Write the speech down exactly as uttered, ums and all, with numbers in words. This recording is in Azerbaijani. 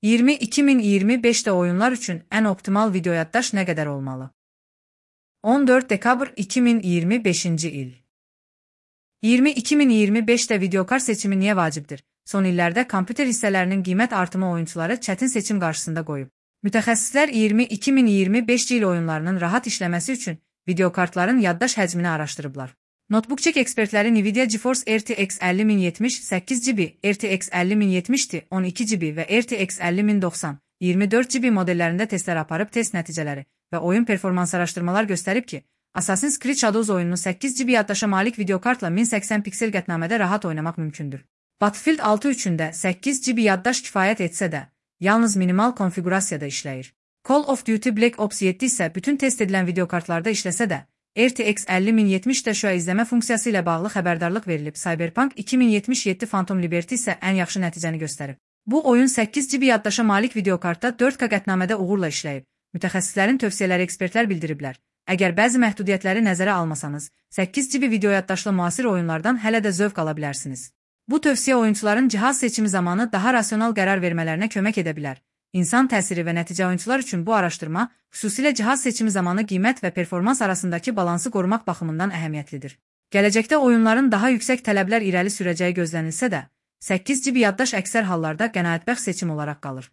iyirmi iki min iyirmi beşdə oyunlar üçün ən optimal video yaddaş nə qədər olmalı? on dörd dekabr iki min iyirmi beşinci il. iyirmi iki min iyirmi beşdə videokart seçimi niyə vacibdir? Son illərdə kompüter hissələrinin qiymət artımı oyunçuları çətin seçim qarşısında qoyub. Mütəxəssislər iyirmi iki min iyirmi beşinci il oyunlarının rahat işləməsi üçün videokartların yaddaş həcmini araşdırıblar. Notebookcheck ekspertləri Nvidia GeForce R T X əlli min yetmiş səkkiz giga, R T X əlli min yetmiş Ti on iki giga və R T X əlli min doxsan iyirmi dörd giga modellərində testlər aparıb test nəticələri və oyun performans araşdırmalar göstərib ki, Assassin's Creed Shadows oyununu səkkiz giga yaddaşa malik videokartla min səksən piksel qətnamədə rahat oynamaq mümkündür. Battlefield altı üçün də səkkiz giga yaddaş kifayət etsə də, yalnız minimal konfigurasiyada işləyir. Call of Duty Black Ops yeddi isə bütün test edilən videokartlarda işləsə də, R T X əlli min yetmişdə şüa izləmə funksiyası ilə bağlı xəbərdarlıq verilib. Cyberpunk iki min yetmiş yeddi Phantom Liberty isə ən yaxşı nəticəni göstərib. Bu oyun səkkiz giga yaddaşa malik videokartda dörd K qətnamədə uğurla işləyib. Mütəxəssislərin tövsiyələri ekspertlər bildiriblər. Əgər bəzi məhdudiyyətləri nəzərə almasanız, səkkiz giga video yaddaşlı müasir oyunlardan hələ də zövq ala bilərsiniz. Bu tövsiyə oyunçuların cihaz seçimi zamanı daha rasional qərar vermələrinə kömək edə bilər. İnsan təsiri və nəticə oyunçular üçün bu araşdırma, xüsusilə cihaz seçimi zamanı qiymət və performans arasındakı balansı qorumaq baxımından əhəmiyyətlidir. Gələcəkdə oyunların daha yüksək tələblər irəli sürəcəyi gözlənilsə də, səkkiz giga yaddaş əksər hallarda qənaətbəxş seçim olaraq qalır.